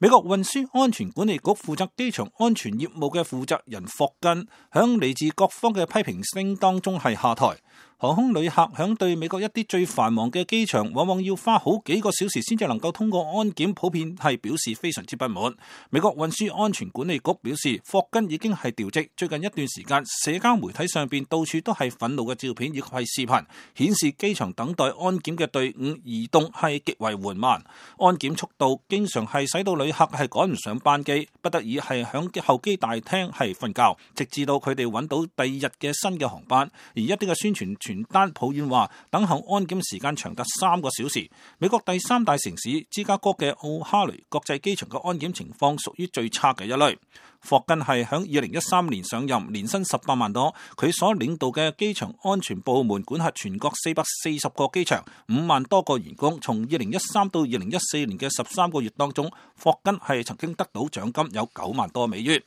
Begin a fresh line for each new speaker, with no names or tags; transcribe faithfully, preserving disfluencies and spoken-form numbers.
美國運輸安全管理局負責機場安全業務嘅負責人霍根，響嚟自各方嘅批評聲當中係下台。航空旅客響對美國一啲最繁忙嘅機場，往往要花好幾個小時先至能夠通過安檢，普遍係表示非常之不滿。美國運輸安全管理局表示，霍根已經係調職。最近一段時間，社交媒體上邊到處都係憤怒嘅照片以及係視頻，顯示機場等待安檢嘅隊伍移動係極為緩慢，安檢速度經常係使到旅客係趕唔上班機，不得已係響候機大廳係瞓覺，直至到佢哋揾到第二日嘅新嘅航班。而一啲嘅宣傳傳單抱怨話，等候安檢時間長達三個小時。美國第三大城市芝加哥嘅奧哈雷國際機場嘅安檢情況屬於最差嘅一類。霍根係響二零一三年上任，年薪十八萬多。佢所領導嘅機場安全部門管轄全國四百四十個機場，五萬多個員工。從二零一三到二零一四年嘅十三個月當中，霍根係曾經得到獎金有九萬多美元。